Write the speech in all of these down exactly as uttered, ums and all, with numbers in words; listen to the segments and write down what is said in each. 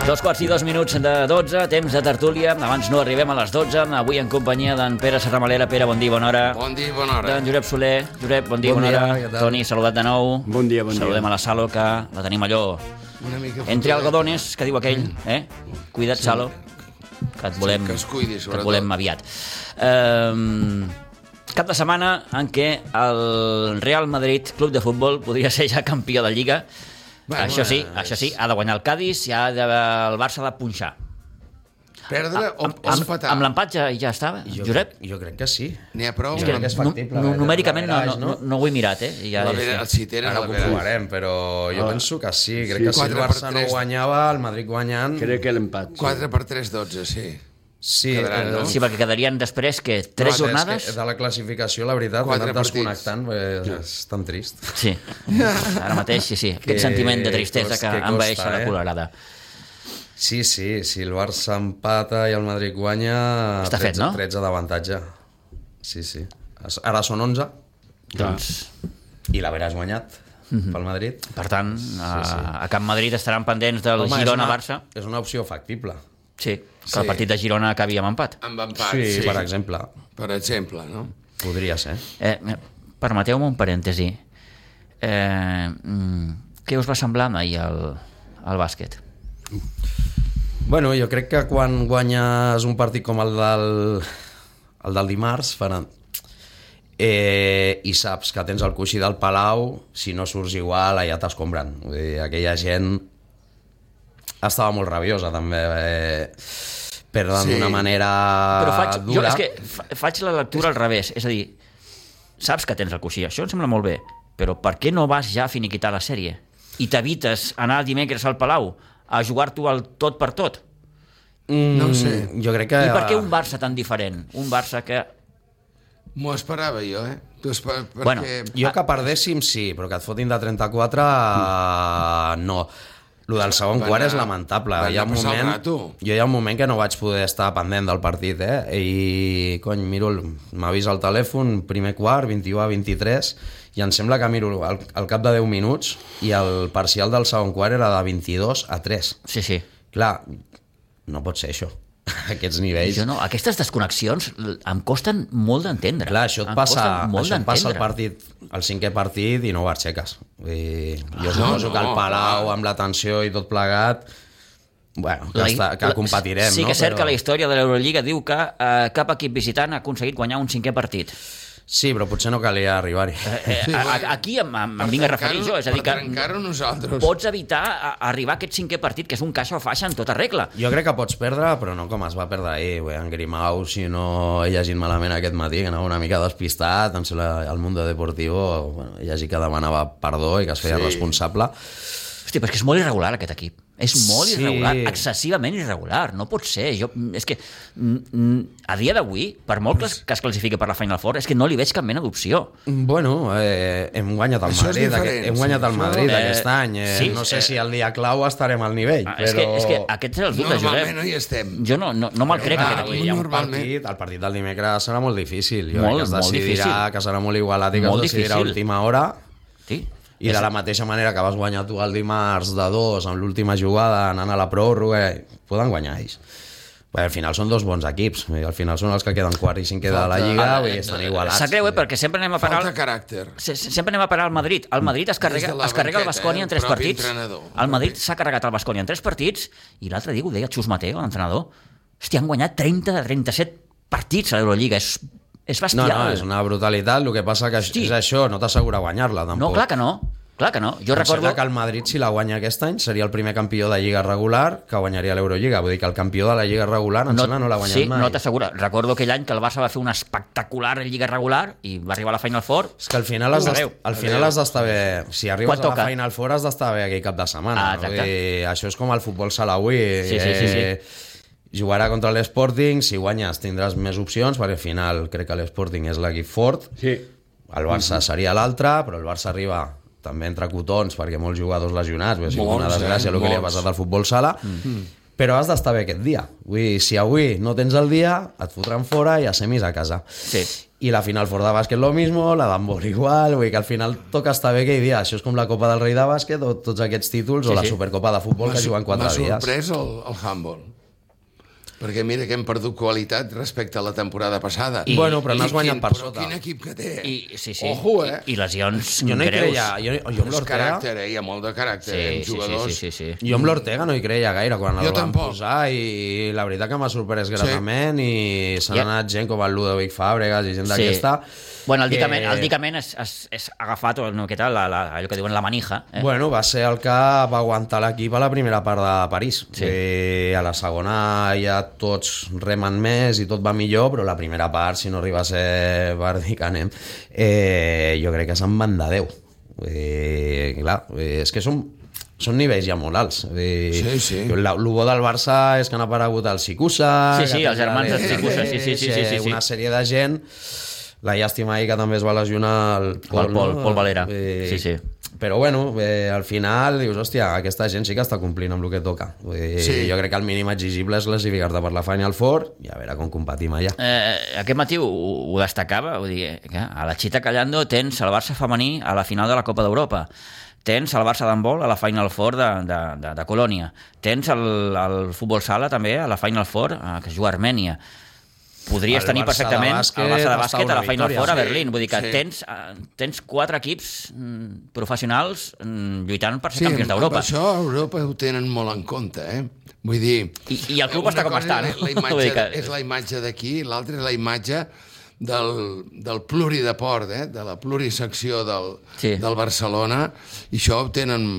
Dos quarts i dos minuts de dotze, temps de tertúlia. Abans no arribem a les dotze. Avui en companyia d'en Pere Serramalera. Pere, bon dia, bona hora. Bon dia, bona hora. D'en Josep Soler. Josep, bon dia, bon bona dia, hora. Toni, saludat de nou. Bon dia, bon dia. Saludem a la Salo, que la tenim allò Una mica entre algodones, que diu aquell. Eh? Cuida't, sí. Salo, que et volem, sí, que es cuidi, que et volem aviat. Um, cap de setmana en què el Real Madrid, club de futbol, podria ser ja campió de Lliga. Bueno, això sí, és... això sí, ha de guanyar el Cádiz i ha de, el Barça ha de punxar. Perdre o, amb, o empatar? Amb l'empat ja, ja estava, jo, Josep? Jo crec que sí. N'hi ha prou? Jo crec que és factible. No, numèricament no, no, no, no ho he mirat, eh? Ja la és, vera, el Citera, Ara ho comprovarem, però jo oh. penso que sí. Crec sí, que si el Barça no guanyava, el Madrid guanyant... Crec que l'empat. quatre per tres, dotze, sí. Sí, Quedaran, no? sí, perquè quedarien després que tres no, jornades... De la classificació, la veritat, m'he anat desconnectant, és, és tan trist. Sí, ara mateix, sí, sí. Aquest sentiment de tristesa que, que envaeix la colorada. Sí, sí, si el Barça empata i el Madrid guanya... Està fet, no? tretze d'avantatge. Sí, sí. Ara són onze. Doncs... I l'haveràs guanyat mm-hmm. pel Madrid. Per tant, a, sí, sí. a Camp Madrid estaran pendents del Girona-Barça. És, és una opció factible. Sí, que sí. el partit de Girona acabi amb empat. Amb empat, sí. sí. Per exemple. Per exemple, no? Podria ser. Eh, Permeteu-me un parèntesi. Eh, què us va semblar ahir el, el bàsquet? Bueno, jo crec que quan guanyes un partit com el del, el del dimarts, faran, eh, i saps que tens el coixí del Palau, si no surts igual, allà t'escombren. Vull dir, aquella gent estava molt rabiosa, també, eh, perdent sí. d'una manera Però faig, dura. Jo és que faig la lectura al revés, és a dir, saps que tens el coixí, això em sembla molt bé, però per què no vas ja a finiquitar la sèrie? I t'evites anar dimecres al Palau a jugar-t'ho al tot per tot? Mm, no ho sé. Jo crec que... I per què un Barça tan diferent? Un Barça que... M'ho esperava jo, eh? Tu esper... perquè... Bueno, jo que perdéssim sí, però que et fotin de trenta-quatre mm. no. Lo del segon van quart a... és lamentable. Hi ha un moment... Jo hi ha un moment que no vaig poder estar pendent del partit, eh? I, cony, miro, m'ha vist el telèfon, primer quart, vint-i-u a vint-i-tres, i em sembla que miro al, al cap de deu minuts i el parcial del segon quart era de vint-i-dos a tres. Sí, sí. Clar, no pot ser això, aquests nivells. Jo no, aquestes desconnexions em costen molt d'entendre. Clar, això et em passa, això et passa el partit, el cinquè partit i no ho aixeques. I jo ah, suposo no, que el Palau, no. amb la tensió i tot plegat, bueno, que, la, està, que la, competirem. Sí que és no? cert Però... que la història de l'Eurolliga diu que eh, cap equip visitant ha aconseguit guanyar un cinquè partit. Sí, però potser no calia arribar-hi. Eh, eh, sí, a, aquí em, em, em vinc a referir jo, és a dir que pots evitar a, a arribar a aquest cinquè partit, que és un caixa o faixa en tota regla. Jo crec que pots perdre, però no com es va perdre ahir, eh, en Grimau, si no he llegit malament aquest matí, que anava una mica despistat, em sembla el Mundo Deportivo, bueno, he llegit que demanava perdó i que es feia sí. responsable. Hosti, però és que és molt irregular aquest equip. És molt sí. irregular, excessivament irregular. No pot ser. Jo, és que a dia d'avui, per molt que es, que es classifiqui per la Final Four, és que no li veig cap mena d'opció. Bueno, eh, hem guanyat el Madrid, aquest, hem guanyat el Madrid eh, aquest any. Eh, sí, no sé eh, si el dia clau estarem al nivell. Ah, però... és, que, és que aquest és el dubte, Josep. Normalment no hi estem. Jo no, no, no me'l crec, clar, aquest equip. Hi ha un partit, el partit del dimecres serà molt difícil. Jo molt, crec que es decidirà, que serà molt igualat i que molt es decidirà a última hora. Sí. I de la mateixa manera que vas guanyar tu el dimarts de dos amb l'última jugada anant a la pròrroga, poden guanyar ells. Bé, al final són dos bons equips, al final són els que queden quart i cinquè de la Lliga, i estan igualats. Sap greu, eh? Perquè sempre anem a parar... Falta caràcter. Sempre anem a parar al Madrid. El Madrid es carrega, es carrega el Baskonia en tres partits. El Madrid s'ha carregat el Baskonia en tres partits, i l'altre dia ho deia Xus Mateo, l'entrenador. Hòstia, han guanyat trenta de trenta-set partits a l'Eurolliga, és... És bestial. No, no, és una brutalitat. El que passa que Hosti. és això, no t'assegura guanyar-la, tampoc. No, clar que no. Clar que no. Jo em recordo que el Madrid, si la guanya aquest any, seria el primer campió de Lliga regular que guanyaria l'Eurolliga. Vull dir que el campió de la Lliga regular em no, sembla no l'ha guanyat sí, mai. Sí, no t'assegura. Recordo aquell any que el Barça va fer una espectacular Lliga regular i va arribar a la Final Four. És que al final has d'estar, al final has d'estar bé. Si arribes a la Final Four has d'estar bé aquell cap de setmana. Ah, exacte. I això és com el futbol salawi. Sí, sí, sí, sí. Eh, jugarà contra l'Sporting, si guanyes tindràs més opcions, perquè al final crec que l'Sporting és l'equip fort, sí. el Barça seria l'altre, però el Barça arriba també entre cotons, perquè molts jugadors lesionats, ha sigut una desgràcia el que li ha passat al futbol sala, mm. però has d'estar bé aquest dia. Vull dir, si avui no tens el dia, et fotran fora i a semis a casa. Sí. i la Final Four de bàsquet lo mismo, la d'handbol igual, vull dir que al final toca estar bé que hi dia, això és com la Copa del Rei de bàsquet o tots aquests títols, sí, o la sí. Supercopa de futbol que juguen quatre dies. M'ha sorprès el, el handball, perquè mira que hem perdut qualitat respecte a la temporada passada. I, bueno, però n'has guanyat per però sota. Quin equip que té. I, sí, sí. Ojo, eh? I, i lesions jo no hi greus. creia, jo, jo amb l'Ortega... caràcter, eh? Hi ha molt de caràcter, sí, eh? Sí, jugadors. sí, sí, sí, sí. Jo amb l'Ortega no hi creia gaire quan jo el van tampoc. posar i la veritat que m'ha sorprès gratament sí. i s'han ja. anat gent com el Ludovic Fàbregas i gent Sí. d'aquesta. Bueno, el dicament, que... el dicament és, és, és agafat, no, què tal, la, la, allò que diuen la manija. Eh? Bueno, va ser el que va aguantar l'equip a la primera part de París. Sí. I a la segona ja tots remen més i tot va millor, però la primera part, si no arriba a ser Bardi Canem, eh, jo crec que se'n van de Déu. Eh, clar, eh, és que són són nivells ja molt alts. Eh, sí, sí. El bo del Barça és que han aparegut el Sicusa... Sí, sí, els germans del Sicusa, sí, sí, sí, sí, sí, sí. Una sèrie de gent... La llàstima ahir que també es va lesionar el Pol, el Pol, no? Pol Valera. Eh, sí, sí. Però bueno, eh, al final dius, hòstia, aquesta gent sí que està complint amb el que toca. Eh, sí. Jo crec que el mínim exigible és classificar-te per la Final Four i a veure com competim allà. Eh, aquest matí ho, ho destacava, vull dir, que a la Chita Callando tens el Barça femení a la final de la Copa d'Europa. Tens el Barça d'handbol a la Final Four de, de, de, de Colònia. Tens el, el futbol sala també a la Final Four eh, que es juga a Armènia. Podries el tenir Barça perfectament bàsquet, el Barça de bàsquet a la Final victòria, Four a sí, Berlín. Vull dir que sí. tens, uh, tens quatre equips mm, professionals mm, lluitant per ser sí, campions d'Europa. Sí, això a Europa ho tenen molt en compte, eh? Vull dir... I, i el club està com està, no? La imatge, que... És la imatge d'aquí, l'altra és la imatge del, del plurideport, eh? De la plurisecció del, sí. del Barcelona, i això ho tenen...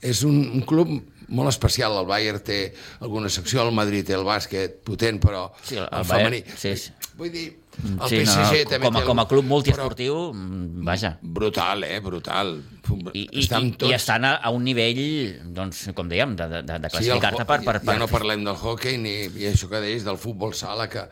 És un, un club molt especial. El Bayern té alguna secció, el Madrid té el bàsquet potent, però sí, el, el, el femení... Sí, sí. Vull dir, el sí, P S G no, també com a, té... Com a club multiesportiu, però... vaja. Brutal, eh? Brutal. I, i, estan i, tots... i estan a, a un nivell, doncs, com dèiem, de, de, de classificar-te sí, per, per, per... Ja no parlem del hockey ni i això que deies del futbol sala, que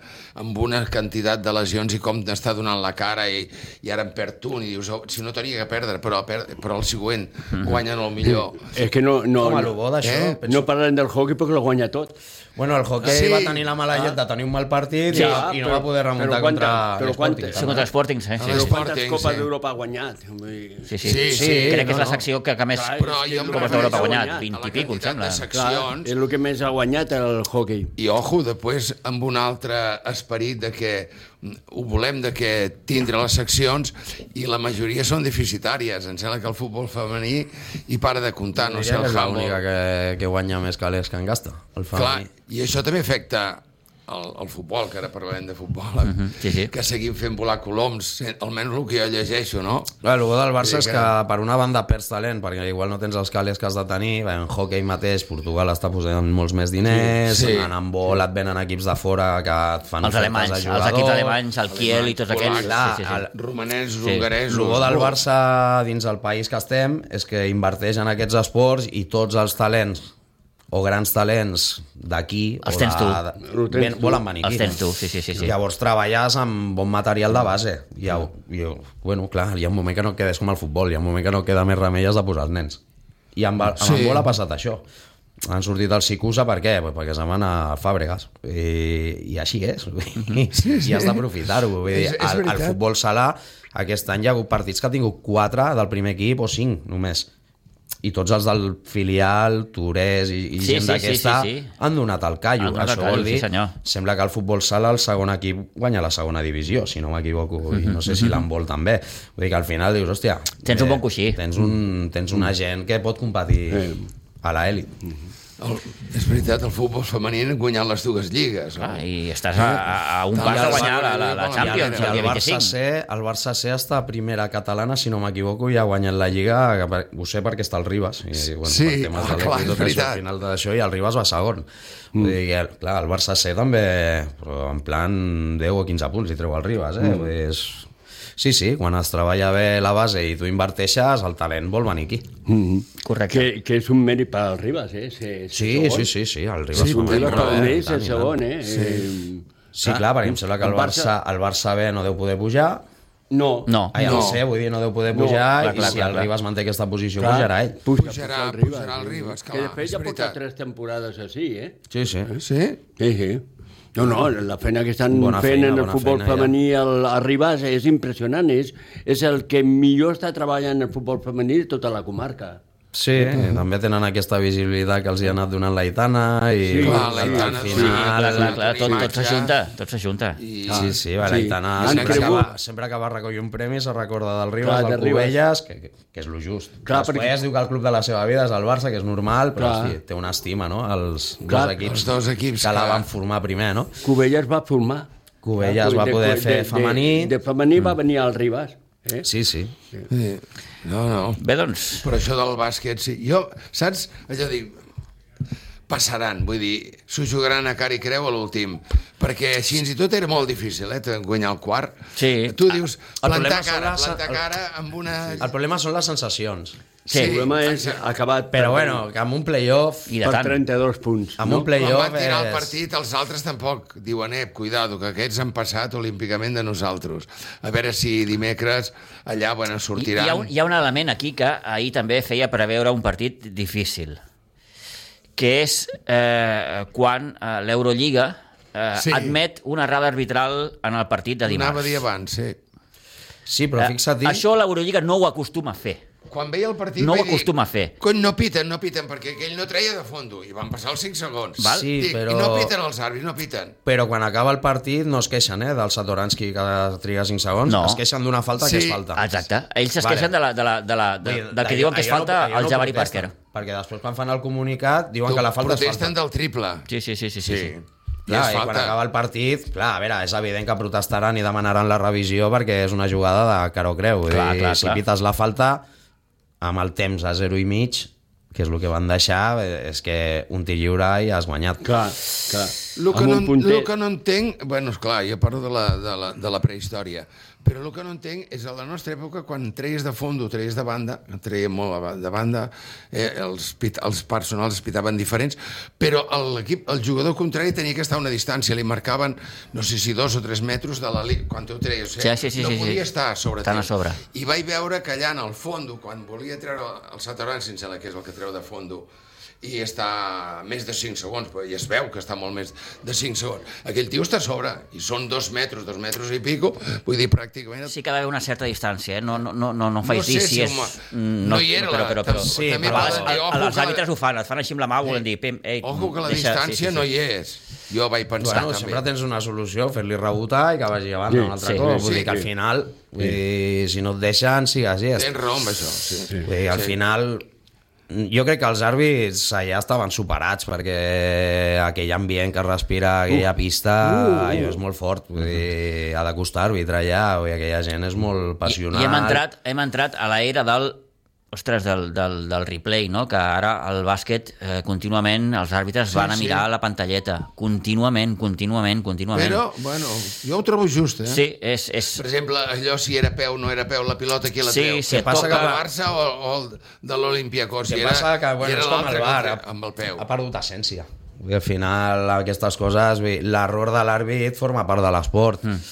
amb una quantitat de lesions i com està donant la cara i, i ara en perd un i dius, oh, si no tenia que perdre, però, per, però el següent guanyen el millor. És que no, no, Com a no, lo bo d'això, eh? penso... no parlen del hockey perquè lo guanya tot. Bueno, el hockey Sí. va tenir la mala llet de tenir un mal partit Sí, i, ah, i no però- va poder remuntar però quanta- contra però l'Sporting. quanta- Sí, contra l'Sporting, sí. Ah, Sí, Però sí. Sporting, quantes copes sí. d'Europa ha guanyat? Vull dir, Sí, sí. Sí, sí, sí, crec que és no, la no. secció que, que més Clar, Però jo em Copes d'Europa ha refereixo guanyat, a vint a la i pico, em quantitat sembla. de clar, seccions. és el que més ha guanyat el hockey. I ojo, després amb un altre esperit de que ho volem de que tindre les seccions i la majoria són deficitàries. Em sembla que el futbol femení hi para de comptar, no sé, Diria el que és handball. l'única que, que guanya més calés que en gasta, el Clar, femení. i això també afecta el, el futbol, que ara parlem de futbol, Uh -huh, sí, sí. que seguim fent volar coloms, almenys el que jo llegeixo, no? Clar, el bo del Barça Sí, és que- que per una banda perds talent, perquè igual no tens els calés que has de tenir. En hockey mateix, Portugal està posant molts més diners, Sí, sí. en handball et venen equips de fora que et fan Els ofertes alemanys, a els jugador. equips alemanys, el Kiel i tots aquells. polacs, Sí, sí, sí. el- Romanesos, Sí. hongaresos... El bo del Oh, Barça dins el país que estem és que inverteix en aquests esports i tots els talents o grans talents d'aquí Els o tens de, tu. de, Els tens ven, tu. volen venir Els aquí. tens tu, sí, sí, sí. sí. Llavors treballes amb bon material de base. I, i, bueno, clar, hi ha un moment que no quedes com el futbol, hi ha un moment que no queda més remei has de posar els nens. I amb, amb Sí. el vol ha passat això. Han sortit el Sicusa, per què? Pues perquè se'n van a Fàbregas. I, i així és. Sí, sí. I has d'aprofitar-ho. Vull dir, És- és el, el veritat. futbol sala, aquest any hi ha hagut partits que ha tingut quatre del primer equip o cinc, només. I tots els del filial, Torès i, i Sí, gent sí, d'aquesta sí, sí, sí. han donat el callo. Han donat el Això callo, vol dir, sí, senyor. sembla que el futbol sala, el segon equip, guanya la segona divisió, si no m'equivoco, i no sé si l'handbol també. Vull dir que al final dius, hòstia... Tens un bon coixí. Tens, un, tens una gent que pot competir a l'elit. El, és veritat, el futbol femení ha guanyat les dues lligues. No? Ah, I estàs a, a, a un Tant pas de el guanyar la, Barça la, la com el Champions, Barça. el el dia Barça vint-i-cinc. C, el Barça C està a primera catalana, si no m'equivoco, i ha guanyat la Lliga, ho sé perquè està el Ribas. I, bueno, Sí, per temes ah, de clar, l'equip i és tot això, veritat. al final d'això, i el Ribas va segon. Mm. Vull dir que, clar, el Barça C també, però en plan deu o quinze punts, i treu el Ribas, eh? Mm. Vull dir, és... Sí, sí, quan es treballa bé la base i tu inverteixes, el talent vol venir aquí. Mm-hmm. Correcte. Que, que és un mèrit per al Ribas, eh? Ser, ser Sí, segon. sí, sí, sí, el Ribas Sí, fa Un un Ribas molt per bé, un i tant, és i segon, tant. eh? Sí, Sí, clar, perquè em sembla que el Barça, el Barça B no deu poder pujar, No. No. ai, el No. C, vull dir, no deu poder No, pujar, clar, i clar, si clar, el clar. Ribas manté aquesta posició, Clar, pujarà ell. Puja, Pujarà- puja el Ribas. pujarà el Ribas, clar, Que després és ja porta veritat. tres temporades així, eh? Sí, sí. Sí? Sí, sí. No, no, la feina que estan Bona fent feina, en el bona futbol feina, femení al, a Ribas és impressionant. És, és el que millor està treballant en el futbol femení de tota la comarca. Sí, eh, també tenen aquesta visibilitat que els hi ha anat donant l'Aitana i Sí, clar, al l'Aitana, final... Sí, clar, clar, clar, tot, tot imatge. s'ajunta, tot s'ajunta. I, Sí, sí, va, Sí. l'Aitana Han sempre, cregut. acaba, sempre acaba de recollir un premi se recorda del Ribas, Clar, de del Ribas. Cubelles, que, que, que és lo just. Clar, Després perquè- diu que el club de la seva vida és el Barça, que és normal, però Clar. sí, té una estima, no?, els Clar, dos equips, els dos equips que la que- van formar primer, no? Cubelles va formar. Cubelles va De- poder de- fer de- femení. De, de femení va venir al Ribas. Eh? Sí, sí. sí. No, no. Bé, doncs, Però això del bàsquet, sí. Jo, saps? Allò dic, passaran, vull dir, s'ho jugaran a cara i creu a l'últim, perquè fins i tot era molt difícil, eh, guanyar el quart. Sí. Tu dius, El plantar problema són cara, les- plantar el- cara amb una... El problema són les sensacions. sí. El problema és exacte. acabat Però per- bueno, que amb un playoff... I de per tant. trenta-dos punts. Amb no? un Quan playoff van tirar el és... partit, els altres tampoc diuen, eh, cuidado, que aquests han passat olímpicament de nosaltres. A veure si dimecres allà, bueno, Hi, sortiran... hi, ha un, hi ha un element aquí que ahir també feia preveure un partit difícil, que és eh, quan eh, l'Eurolliga eh, Sí. admet una errada arbitral en el partit de dimarts. Anava a dir abans, sí. Sí, però fixa't... Eh, això l'Eurolliga no ho acostuma a fer. Quan veia el partit... No ho vaig dir, acostuma a fer. Cony, no piten, no piten, perquè aquell no treia de fondo. I van passar els cinc segons. Val. Sí, Dic, però- I no piten els àrbits, no piten. Però quan acaba el partit no es queixen, eh, del Satoranski que triga cinc segons, No. es queixen d'una falta Sí. que és falta. Exacte. Ells es Vale. queixen de la, de la, de la, de, Vull dir, del que allò- diuen que és allò falta no- allò al no Jabari protesten, Parker. Perquè després quan fan el comunicat diuen que la falta és Protesten falta. del triple. Sí, sí, sí, sí, sí. sí. I Clar, és i quan falta. acaba el partit, clar, a veure, és evident que protestaran i demanaran la revisió perquè és una jugada de caro creu. Vull Clar, dir, clar, si clar. pites la falta, amb el temps a zero i mig, que és el que van deixar, és que un tir lliure i has guanyat. Clar, clar. El que, Amb no, un punter- el que no entenc... Bueno, esclar, jo parlo de la, de, la, de la prehistòria, però el que no entenc és a la nostra època, quan treies de fondo, treies de banda, treien molt de banda, eh, els, pit, els personals es pitaven diferents, però l'equip, el jugador contrari tenia que estar a una distància, li marcaven, no sé si dos o tres metres de la línia, quan tu treies, eh? Sí, sí, sí, no sí, sí. podia estar a sobre Tan a teu. sobre. I vaig veure que allà en el fondo, quan volia treure el Satoran, sense la que és el que treu de fondo, i està més de cinc segons, però ja es veu que està molt més de cinc segons. Aquell tio està a sobre, i són dos metres, dos metres i pico, vull dir, pràcticament... Sí que ha d'haver una certa distància, eh? No, no, no, no, no faig No sé dir si si és... home, Mm, no hi era però, la- però, però, Sí, també però va- els- eh, ojo els que la- àrbitres ho fan, et fan així amb la mà, volen dir... Pim, ei, Ojo que la deixa- distància sí, sí, sí. no hi és. Jo vaig pensar Bueno, també. sempre tens una solució, fer-li rebotar i que vagi avant Sí, un altre sí, cop. sí, Vull dir que al sí. final, vull dir, si no et deixen, sigues llest. Tens raó amb això, sí. sí. Vull dir, al Sí. final, jo crec que els àrbits allà estaven superats perquè aquell ambient que respira aquella pista uh, uh, és molt fort. Vull dir, ha de costar arbitrar allà, vull dir, aquella gent és molt I, passional. I hem entrat, hem entrat a l'era del ostres, del, del, del replay, no? Que ara al bàsquet eh, contínuament els àrbitres Sí, van a sí. mirar la pantalleta, contínuament, contínuament, contínuament. Però, bueno, jo ho trobo just, eh? Sí, és... és... Per exemple, allò si era peu o no era peu, la pilota qui la Sí, treu? sí, Que passa toca que el va- Barça o, o el de l'Olimpiakos? El I que era, passa que, bueno, i era és com l'altre el que bar, el ha, tre- amb el peu. ha perdut essència. Vull dir, al final, aquestes coses, vull dir, l'error de l'àrbit forma part de l'esport. Mm.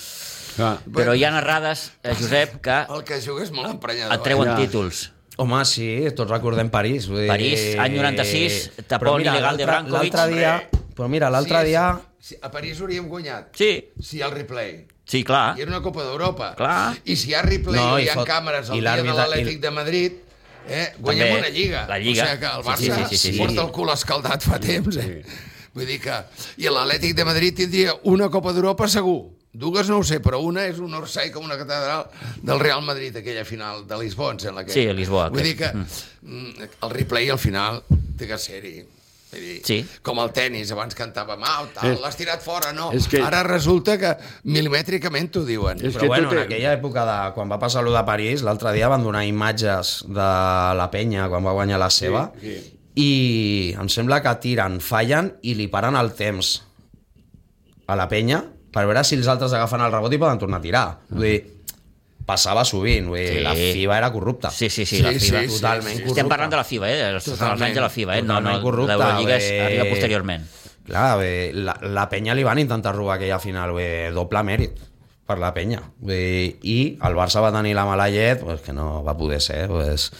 Clar. Però hi ha errades, eh, Josep, que El que juga és molt emprenyador. et treuen Ja. títols. Home, sí, tots recordem París. Vull dir... París, any noranta-sis, tapó Però mira, il·legal de l'altre- Brankovic. L'altre dia, però mira, l'altre Sí, dia... sí, a París hauríem guanyat. Sí, Si hi ha el replay. sí, clar. I era una Copa d'Europa. Clar. I si hi ha replay No, no, i hi ha fot- càmeres i el dia de l'àrbitre- l'Atlètic i- de Madrid, eh, guanyem També, una lliga. la Lliga. O sigui que el Sí, Barça sí, sí, sí, sí. porta el cul escaldat fa temps. Eh? Vull dir que... I l'Atlètic de Madrid tindria una Copa d'Europa segur. Dues no ho sé, però una és un orsai com una catedral del Real Madrid, aquella final de Lisboa, em sembla que... Sí, a Lisboa, Vull dir crec. que mm. el replay al final té que ser-hi. Vull dir, Sí. com el tennis, abans cantàvem, ah, tal, És- l'has tirat fora, no. és que- Ara resulta que milimètricament t'ho diuen. És Però que bueno, tot en és- aquella època, de, quan va passar allò de París, l'altre dia van donar imatges de la penya quan va guanyar la seva, Sí, sí. i em sembla que tiren, fallen i li paren el temps a la penya per veure si els altres agafen el rebot i poden tornar a tirar. Vull dir, passava sovint, vull dir, Sí. la FIBA era corrupta. Sí, sí, sí, Sí, la FIBA. sí, sí, totalment sí. corrupta. Estem parlant de la FIBA, eh? Els, els Totalment. anys de la FIBA, eh? No, no, Totalment corrupta, l'Eurolliga és- bé. arriba posteriorment. Clar, bé, la, la penya li van intentar robar aquella final, bé, doble mèrit per la penya. Bé, i el Barça va tenir la mala llet, pues, que no va poder ser. Pues,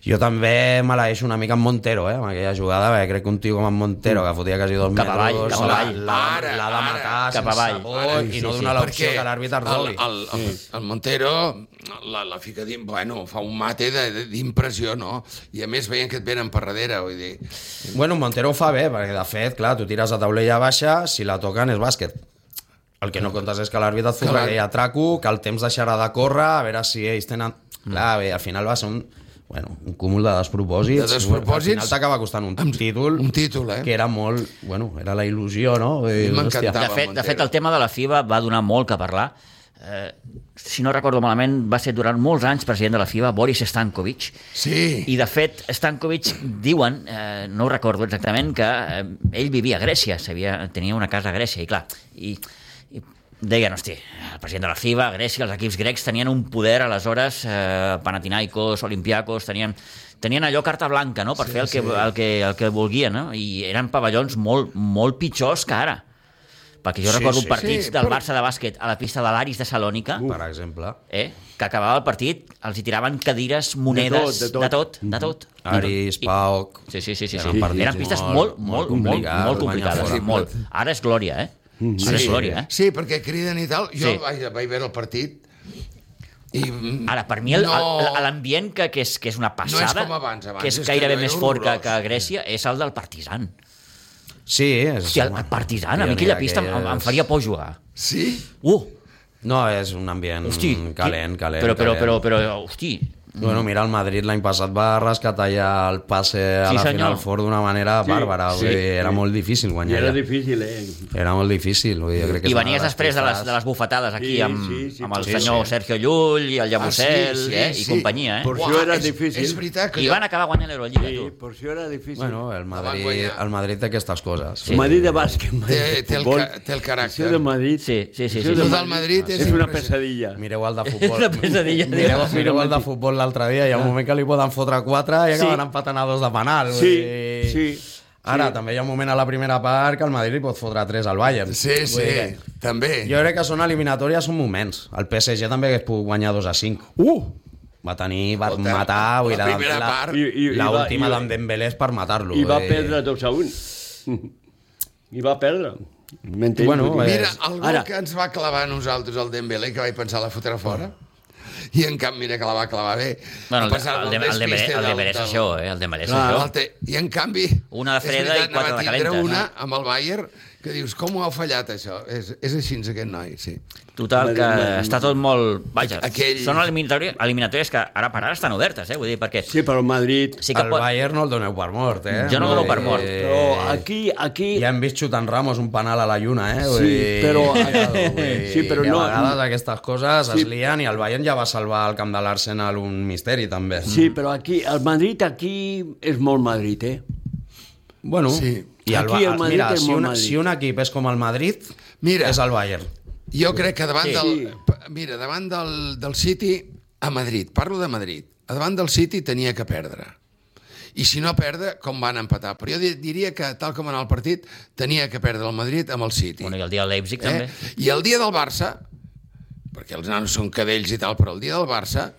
Jo també me la deixo una mica amb Montero, eh, amb aquella jugada, perquè crec que un tio com en Montero, que fotia quasi dos cap avall, metres, cap avall. l'ha de matar cap sense avall. por i Sí, no sí, donar sí. l'opció que l'àrbitre es doli. El, el, el, el Montero la, la fica dins, bueno, fa un mate d'impressió, no? I a més veient que et venen per darrere, vull dir... Bueno, Montero ho fa bé, perquè de fet, clar, tu tires a taulella baixa, si la toquen és bàsquet. El que no comptes és que l'àrbitre et fotrà aquell atraco, que el temps deixarà de córrer, a veure si ells tenen... Clar, bé, al final va ser un... Bueno, un cúmul de despropòsits. De despropòsits. Al final t'acaba costant un títol. Un títol, eh? Que era molt... Bueno, era la il·lusió, no? M'encantava. De fet, de fet, el tema de la F I B A va donar molt que parlar. Eh, si no recordo malament, va ser durant molts anys president de la F I B A Boris Stankovic. Sí. I, de fet, Stankovic, diuen, eh, no ho recordo exactament, que eh, ell vivia a Grècia, sabia, tenia una casa a Grècia, i clar, i, i deien, hosti, el president de la F I B A, Grècia, els equips grecs tenien un poder aleshores, eh, Panathinaikos, Olympiakos, tenien, tenien allò carta blanca, no?, per sí, fer el que, sí. el, que, el que volguien, no?, i eren pavellons molt, molt pitjors que ara. Perquè jo sí, recordo sí, partits sí, del Barça de bàsquet a la pista de l'Aris de Salònica, uh, per exemple, eh, que acabava el partit, els hi tiraven cadires, monedes, de tot, de tot. De tot, de tot. Aris, Pauc... Sí, sí, sí, sí, eren, sí. eren pistes molt, molt, molt, molt, molt complicades. Sí, molt. Ara és glòria, eh? Sí, Ara és glòria, eh? Sí, perquè criden i tal. Jo Sí. vaig, vaig veure el partit i... Ara, per mi, el- no, el- l'ambient que, que, és, que és una passada, No és com abans, abans que és és que gairebé era més fort que, horrorós. que a Grècia, és el del Partizan. Sí, és... Hosti, el, el Partizan, a mi aquella pista em, em faria por jugar. Sí? Uh! No, és un ambient Hosti, calent, calent. Però, però, calent. però, però, hosti... Bueno, mira, el Madrid l'any passat va rescatar ja el passe a Sí, la senyor. Final Four d'una manera Sí, bàrbara. sí. Vull dir, era molt difícil I guanyar. era allà. difícil, eh? Era molt difícil. Vull dir, jo crec que I és una venies de les després de les, pifes. de les bufetades aquí Sí, amb, sí, sí, amb el sí, senyor sí. Sergio Llull i el Llabucel Ah, sí, sí, eh, i sí. companyia, eh? Por això era és, difícil. És veritat que I van acabar guanyant l'Eurolliga, Sí, tu. per això era difícil. Bueno, el Madrid, guanyar. el Madrid té aquestes coses. Sí. Madrid de bàsquet, Madrid té, de té, el, futbol. ca- té el caràcter. Això de Madrid... Sí, sí, sí. sí, Això sí. Lo de del Madrid és és una impressionant. pesadilla. Mireu el de És futbol. una pesadilla. Mireu, Déu. mireu el de futbol l'altre dia, hi ha un moment que li poden fotre quatre i acaben empatant a dos de penal. vull Sí, dir- sí. Ara, sí. també hi ha un moment a la primera part que el Madrid li pot fotre tres al Bayern. Sí, sí, Vull dir, també. Jo crec que són eliminatòries, són moments. El P S G també hagués pogut guanyar dos a cinc. Uh! Va tenir, va Escolta, matar... vull dir, la primera la, part. I- i- i la va- última i- d'en Dembélé és per matar-lo. I va vull dir. perdre dos a un. I va perdre. M'entens? Bueno, Vull dir- eh, Mira, el gol Ara- que ens va clavar a nosaltres, el Dembélé, que vaig pensar la fotre fora, i en canvi, mira que la va clavar bé. Bueno, A el, pesar el, del el, el, Dembélé- despiste el del- Dembélé és del- això, eh? El Dembélé és Clar, això. el té- I en canvi... Una de és freda veritat, i quatre ne va de tindre calentes. una amb el Bayern que dius, com ho ha fallat això? És, és així aquest noi, sí. Total, que està tot molt... Vaja, Aquell- són eliminatòries, eliminatòries que ara per ara estan obertes, eh? Vull dir, perquè... Sí, però el Madrid... Sí que El pot... Bayern no el doneu per mort, eh? Jo no dono per mort. Però aquí... aquí... Ja hem vist xutant Ramos un penal a la lluna, eh? Vull Sí, dir, però- vull dir, sí, però que no- a vegades aquestes coses Sí. es lien i el Bayern ja va salvar al camp de l'Arsenal un misteri, també. Sí, però aquí... El Madrid aquí és molt Madrid, eh? Bueno, Sí. i el, Aquí Ba- el Madrid mira, és si, molt una, Madrid. si un equip és com el Madrid, Mira. és el Bayern. Jo crec que davant Sí. del... Mira, davant del, del City, a Madrid, parlo de Madrid, a davant del City tenia que perdre. I si no perdre, com van empatar. Però jo di- diria que, tal com en el partit, tenia que perdre el Madrid amb el City. Bueno, i el dia del Leipzig, també. Eh? I el dia del Barça, perquè els nanos són cadells i tal, però el dia del Barça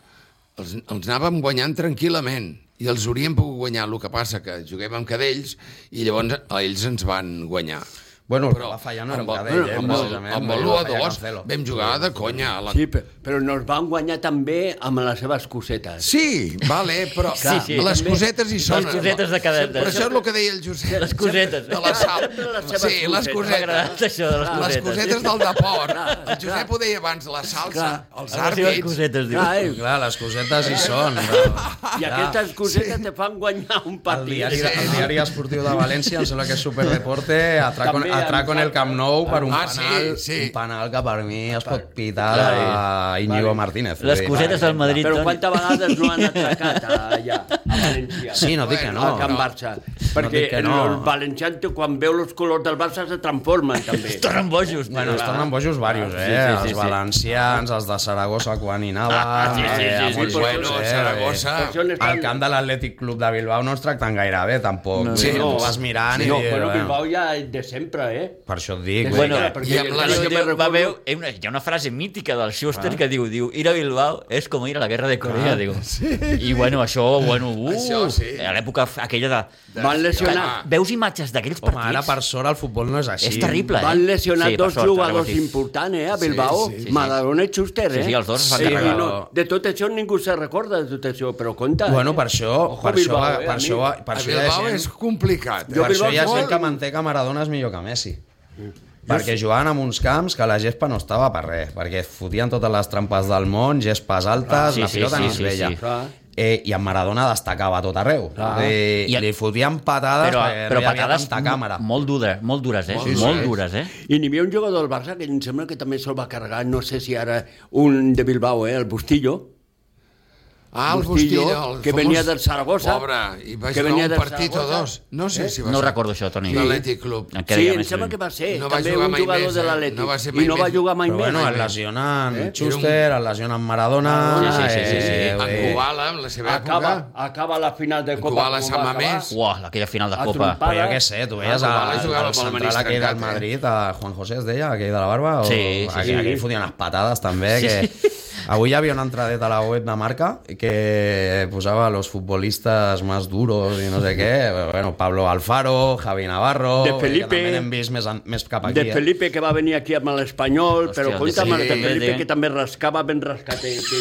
els, els anàvem guanyant tranquil·lament i els hauríem pogut guanyar. El que passa que juguem amb cadells i llavors ells ens van guanyar. Bueno, el que Però va fallar no era un amb el- cadell, eh? amb el- precisament, amb vull el dir, u va a fallar dos Cancelo. vam jugar de conya. A la... Sí, però, però nos van guanyar també amb les seves cosetes. Sí, vale, però Sí, sí. les També- cosetes hi són. Les cosetes de cada- Però això és el que deia el Josep. Les cosetes. De la sal. Sempre les seves Sí, les cosetes. M'ha cosetes. agradat això de les Les cosetes. cosetes del deport. El Josep ho deia abans, la salsa, Clar. els Les seves àrbits. cosetes, diu. Clar, eh? Clar, les cosetes hi són. Però... I aquestes cosetes te fan guanyar un El partit. diari, el diari esportiu de València, em sembla que és Superdeporte, atraco, També atraco en el Camp Nou per un Ah, sí, penal, sí. un penal que per mi es pot pitar a Íñigo Martínez. Les Vull dir, cosetes del Madrid, Però Toni. quantes vegades no han atracat allà, a València? Sí, no dic que A no. Can no. Barça. Perquè dic que no. els valencians, quan veu els colors del Barça, se transformen, també. Es tornen bojos. Bueno, tio. es tornen bojos varios, eh? Sí, sí, sí, els sí. valencians, els de Saragossa quan hi anava... Ah, sí, sí, eh, sí, sí, molts sí, bojos, bueno, eh? Saragossa. Per això n'estan- Al camp de l'Atlètic Club de Bilbao no ens tracten gaire bé, tampoc. No, Sí, no. tu vas mirant i... No, dius, però bueno. Bilbao ja de sempre encara, eh? Per això et dic. Bueno, perquè i amb la- jo Diu, me va, recordo- veu, hi ha una- hi ha una frase mítica del Schuster que diu, diu, ir a Bilbao és com ir a la guerra de Corea, diu. I bueno, això, bueno, uh, Això sí. a l'època aquella de... Van lesionar, Ah. Veus imatges d'aquells Home, partits? ara per sort el futbol no és així. És terrible, eh? van lesionar Sí, per dos sort, jugadors ara ho dic. importants, eh, a Bilbao, Sí, sí, sí. Maradona i Schuster, eh? Sí, sí, els dos es van Sí, carregar. i no, de tot això ningú se recorda de tot això, però compte. Bueno, eh? per això, Ojo per Bilbao, això, eh, per amic. això, per A això hi ha Bilbao gent, és complicat. Jo per això hi ha Bilbao gent que molt- manté que Maradona és millor que Messi. Perquè jugaven en uns camps que la gespa no estava per res, perquè fotien totes les trampes del món, gespes altes, Ah, sí, la sí, pilota sí, no es sí, veia. sí. Clar. Eh, I en Maradona destacava a tot arreu. Clar. Eh, I- li fotien patades Però, perquè però no hi havia patades tanta càmera. molt dures, molt dures, eh? Molt Molt, dures. dures, eh? I n'hi havia un jugador del Barça que em sembla que també se'l va carregar, no sé si ara un de Bilbao, eh, el Bustillo, Ah, el Bustillo, Bustillo, el que famós- venia del Zaragoza. Pobre, i va que jugar venia un del partit o Zaragoza. dos. No sé Eh? si va No ser. recordo això, Toni. L'Atlètic Club. En Sí, quedaria em més sembla lluny. que va ser No va també jugar un mai jugador més, de eh? l'Atlètic. No va ser I mai no va més. jugar mai Però més. bueno, el lesionen Eh? Schuster, el lesionen Maradona... Sí, sí, sí, sí, sí. eh, En eh, Kubala, en la seva Acaba, època. acaba la final de Copa. Kubala com Sant va acabar. Mamés. Uah, aquella final de A Copa. trompar. Però jo què sé, tu veies Ah, a, Kubala jugava al amb el central menisc aquell del trencat, eh? Madrid, a Juan José es deia, aquell de la barba, o Sí, sí, sí. aquell, aquell fotien les patades també, que avui hi havia una entradeta a la web de Marca que posava los futbolistas más duros i no sé què, bueno, Pablo Alfaro, Javi Navarro, De Felipe. que també n'hem vist més, en- més cap aquí. De Felipe, que va venir aquí amb l'Espanyol, Hòstia, però de compta amb el de Felipe, Felipe, de- que també rascava ben rascat, eh, que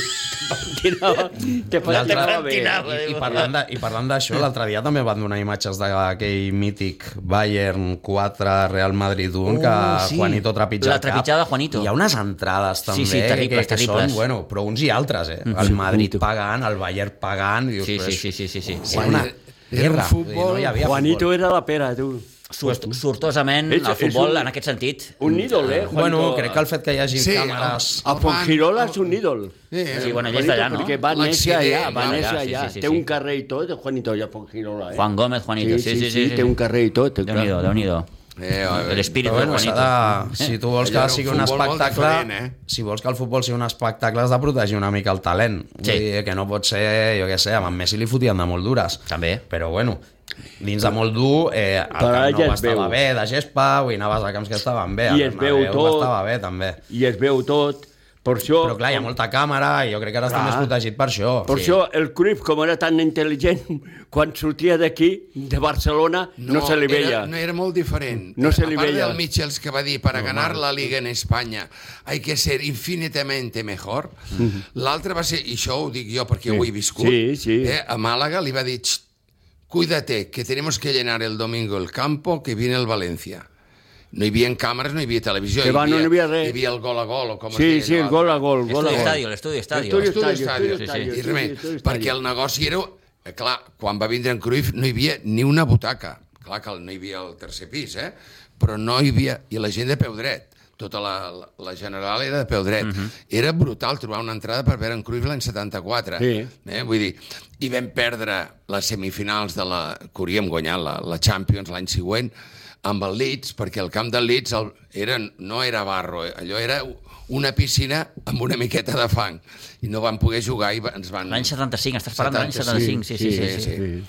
pentinava, te eh? L'altre- pentinava bé. pentinava. I, i parlant de- i parlant d'això, l'altre dia també van donar imatges d'aquell mític Bayern quatre Real Madrid un, que Oh, sí. Juanito trepitja La el cap. trepitjada de Juanito. Hi ha unes entrades també sí, terribles, que, que terribles. són, bueno, però uns i altres, eh? El Madrid pagant, el Bayern pagant... Dius, Sí, però sí, és- sí, sí, sí, sí. Era una Era un guerra. futbol- No hi havia Juanito futbol. era la pera, tu. Sort, sortosament, És- el futbol, és un- en aquest sentit... Un ídol, eh, Juanito? Bueno, crec que el fet que hi hagi Sí, càmeres... A Fongirola és un ídol. Sí, Sí, bueno, ell és Juanito, d'allà, no? Perquè va néixer allà, L'accident, va va, néixer allà, sí, allà. sí, sí, Té sí. un carrer i tot, Juanito, allà a Fongirola, eh? Juan Gómez, Juanito, sí, sí, sí. té un carrer i tot. clar. Déu-n'hi-do, Déu-n'hi-do. Eh, a veure. L'espírit Però de bueno, s'ha Juanito. de, si tu vols Allò que era un sigui un futbol molt espectacle, diferent, eh? si vols que el futbol sigui un espectacle has de protegir una mica el talent. Vull Sí. dir que no pot ser, jo què sé, amb en Messi li fotien de molt dures. També. Però bueno, dins de molt dur, eh, el Però Camp ja Nou es estava veu. bé, de gespa, avui anaves a camps que estaven bé, I el es veu Bernabéu tot. estava bé també. I es veu tot. Per això, Però clar, hi ha molta càmera i jo crec que ara està Clar. més protegit per això. per això el Cruyff, com era tan intel·ligent, quan sortia d'aquí, de Barcelona, no, no se li veia. Era, no era molt diferent. No se li a part veia. del Michels que va dir, para ganar la Liga en Espanya hay que ser infinitamente mejor, l'altre va ser, i això ho dic jo perquè ho he viscut, Sí, sí. Eh, a Màlaga li va dir, "Xt, cuídate, que tenemos que llenar el domingo el campo, que viene el Valencia. No hi havia càmeres, no hi havia televisió. Que va, no hi havia res. Hi havia el gol a gol, o com es Sí, deia sí, allò. gol a gol, gol a L'estudi gol. estadio, l'estudi estadio. Estudi Estudi estadio, estadio, estudi I estadio, res, estudi estadio. perquè el negoci era... eh, Clar, quan va vindre en Cruyff no hi havia ni una butaca. Clar que no hi havia el tercer pis, eh? Però no hi havia... I la gent de peu dret. Tota la, la, la general era de peu dret. Uh -huh. Era brutal trobar una entrada per veure en Cruyff l'any setanta-quatre. Sí. Eh? Vull dir, i vam perdre les semifinals de la... que hauríem guanyat la, la Champions l'any següent amb el Leeds, perquè el camp del Leeds el, era, no era barro, eh? Allò era una piscina amb una miqueta de fang. I no van poder jugar i va- ens van... L'any setanta-cinc, estàs parlant de l'any setanta-cinc, sí, sí, sí. sí, sí. sí.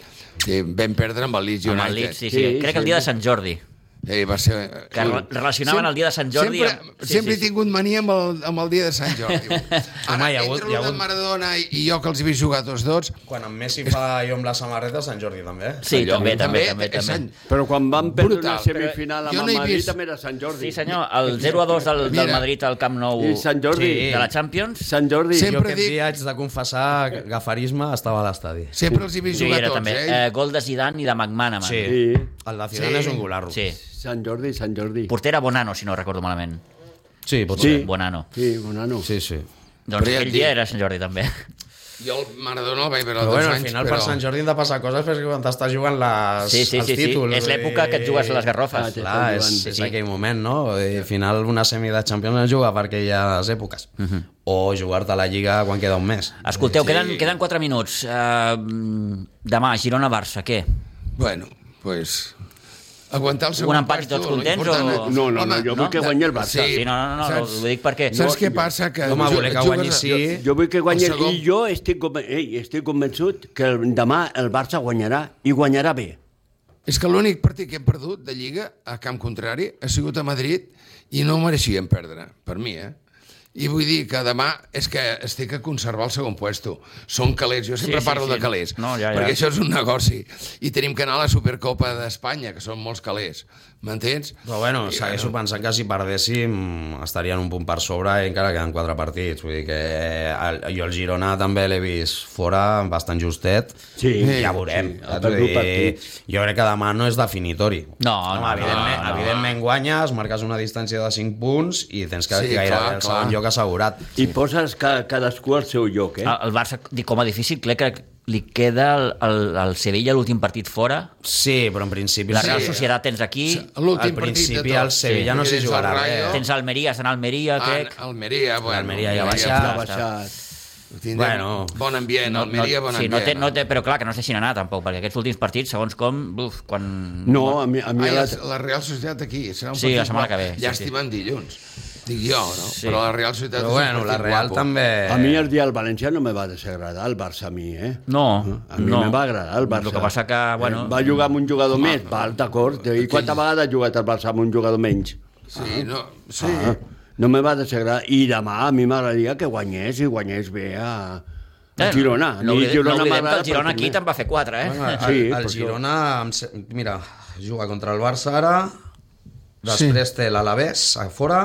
sí. Vam perdre amb el Leeds Amb United. el Leeds, sí, sí. Sí, Crec que el dia de Sant Jordi. Eh, va ser... Que re- relacionaven el dia de Sant Jordi Sempre, amb- sí, sempre sí, he tingut mania amb el, amb el dia de Sant Jordi. Ara, hi ha hagut- entre hi ha el de hagut- Maradona i, i jo, que els he vist jugar tots dos... Quan en Messi fa jo amb la samarreta, Sant Jordi també. Sí, allò, també, també, també. és també. Sant- Però quan van perdre Brutal. una semifinal Però amb jo el no he Madrid vist- també era Sant Jordi. Sí, senyor, el zero a dos del, del Mira. Madrid al Camp Nou I Sant Jordi. de la Champions. Sant Jordi. Jo Sempre aquest dic- dia haig de confessar que gafarisme estava a l'estadi. Sempre els he vist Jo hi jugar era tots, també. eh? Eh, gol de Zidane i de McManaman. Sí. Sí. El de Zidane Sí. és un golarro. Sí. Sant Jordi, Sant Jordi. Porter era Bonano, si no recordo malament. Sí, pot Sí. ser. Bonano. Sí, Bonano. Sí, sí. Doncs Però ja et aquell dic- dia era Sant Jordi també. Jo el Maradona el vaig veure Però dos bueno, al anys, final però... per Sant Jordi han de passar coses perquè quan t'estàs jugant les, Sí, sí, els sí, sí. títols. És l'època que et jugues les garrofes. Ah, Clar, és, Sí, és sí. aquell moment, no? I al final una semi de Champions es juga per aquelles èpoques. Uh -huh. O jugar-te a la Lliga quan queda un mes. Escolteu, Sí. queden, queden quatre minuts. Uh, demà, Girona-Barça, què? Bueno, pues... Aguantar el segon Un empat i pas, tots tu, lo contents, important o- és- No, no, no, Home, jo vull que guanyi el Barça. Sí, no, no, no, Saps? ho dic perquè... Saps No, què jo- passa? Que Home, ju- voler que jugues guanyi a- sí. Jo vull que guanyi El segon- i jo estic, conven- ei, estic convençut que el, demà el Barça guanyarà i guanyarà bé. És que l'únic partit que hem perdut de Lliga a camp contrari ha sigut a Madrid i no ho mereixíem perdre, per mi, eh? I vull dir que demà és que es té que conservar el segon puesto. Són calés, jo sempre Sí, sí, parlo sí. de calés, No, ja, ja. perquè això és un negoci. I tenim que anar a la Supercopa d'Espanya, que són molts calés. M'entens? Però bueno, I, segueixo pensant que si perdéssim estarien un punt per sobre i encara queden quatre partits. Vull dir que el, jo el Girona també l'he vist fora bastant justet. Sí, ja veurem. sí, Ja ha t'ho perdut dic. partits. Jo crec que demà no és definitori. No, no, evidentment, no, no. evidentment guanyes, marques una distància de cinc punts i tens que Sí, gairebé clar, el clar. segon lloc assegurat. I poses ca, cadascú al seu lloc, eh? El Barça, com a difícil, crec que li queda el, el, el Sevilla l'últim partit fora. Sí, però en principi... La sí. Real Societat tens aquí. L'últim Al partit principi de tot. el Sevilla Sí, no perquè s'hi tens el jugarà Rayo. res. Tens Almeria, estan a Almeria, crec. Ah, Almeria, bueno. Almeria ja ha Almeria baixat. Ha ja baixat. Tindrem Bueno. bon ambient, Almeria, bon sí, ambient. no té, no té, però clar, que no es deixin anar tampoc, perquè aquests últims partits, segons com, uf, quan... No, a mi, a mi Ai, la... la, la Real Societat aquí, serà un Sí, la partit setmana bo. que ve, sí, Llàstima en dilluns. Dic jo, no? Sí. Però la Real Societat Però és bueno, un la partit Real guapo. també... A mi el dia del València no me va desagradar el Barça a mi, eh? No, A mi no. me va agradar el Barça. El que passa que, bueno... Eh, va jugar amb un jugador més, val, d'acord. I quantes vegades ha jugat el Barça amb un jugador menys? Sí, no, sí. Ah, no me va desagradar. I demà a mi m'agradaria que guanyés i guanyés bé a, a Girona. A No, mi oblidem, no oblidem que m'agrada el Girona per aquí primer. te'n va fer quatre, eh? Bueno, el, Sí, el per això. Girona, em se- mira, juga contra el Barça ara, després té l'Alavés a fora,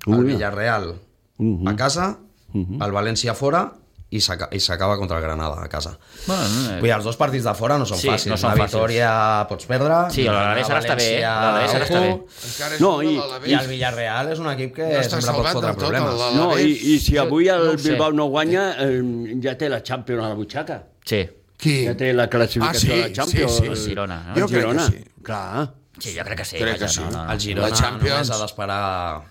el Ui. Villarreal Mhm. a casa, el València a fora i s'aca- i s'acaba contra el Granada a casa. Bueno, Vull dir, els dos partits de fora no són Sí, fàcils. no són Una fàcils. victòria pots perdre. Sí, l'Alavés ara està bé, eh? València, L'Alavés ara està bé. ojo. Encara és No, un i- de l'Alavés. I el Villarreal és un equip que No està sempre pot salvat fotre del tot, problemes. el No, i, Alavés. i si avui el no ho sé. Bilbao no guanya, eh, ja té la Champions a la butxaca. Sí, Qui? Ja té la classificació Ah, sí, de la Champions. sí, sí. el Girona. No? Jo El crec que Girona. sí. Clar. Sí, jo crec que sí. Crec que vaja, sí. No, no, no. El Girona La Champions- només ha d'esperar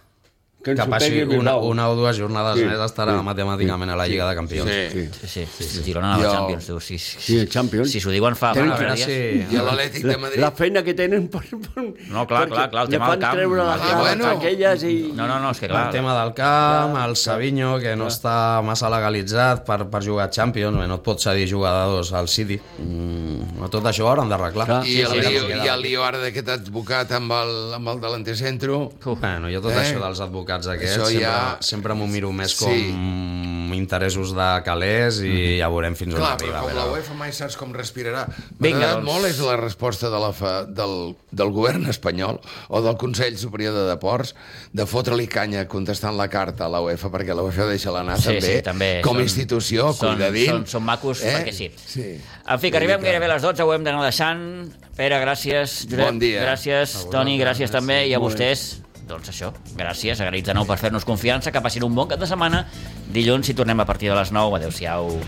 Que ens que ho passi pegui el una, Bilbao. una o dues jornades Sí, més estarà sí, matemàticament a la Lliga de Campions. Sí. Sí, sí, sí, el Girona a la Jo- Champions, tu. Sí, sí, Sí, el Champions. Si s'ho diuen fa... Tenen fa A veure dies. si... I a l'Atlètic de Madrid. La feina que tenen per... per No, clar, perquè clar, clar, el li tema fan del camp. treure les Ah, cares bueno. aquelles i... No, no, no, és que clar... El tema del camp, el Savinho, que no està massa legalitzat per, per jugar a Champions, bé, no et pot cedir jugadors al City. Mm, tot això ho hauran d'arreglar. Clar. I Sí, el, sí, lío, sí, i el lío ara d'aquest advocat amb el, amb el delanter centro. Uf. Bueno, jo tot Eh? això dels advocats aquests Això sempre, ja- sempre m'ho miro més Sí. com interessos de calés i ja veurem fins on Clar, arriba. però com a la veure. UEFA mai saps com respirarà. M'ha Vinga, agradat doncs. molt és la resposta de la fa, del, del govern espanyol o del Consell Superior de Deports de fotre-li canya contestant la carta a la UEFA, perquè la UEFA deixa-la anar Sí, també, sí, també. com a Són- institució, són- cuidadín. són- són macos perquè sí. sí. En fi, que arribem gairebé a les dotze, ho hem d'anar deixant. Pere, gràcies. Josep, Bon dia. gràcies. Toni, gràcies també. I a vostès, doncs això, gràcies. Agraïts de nou per fer-nos confiança. Que passin un bon cap de setmana. Dilluns hi tornem a partir de les nou. Adéu-siau.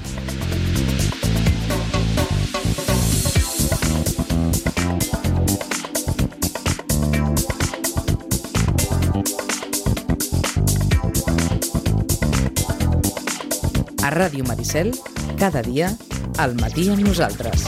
A Ràdio Maricel, cada dia, al matí amb nosaltres.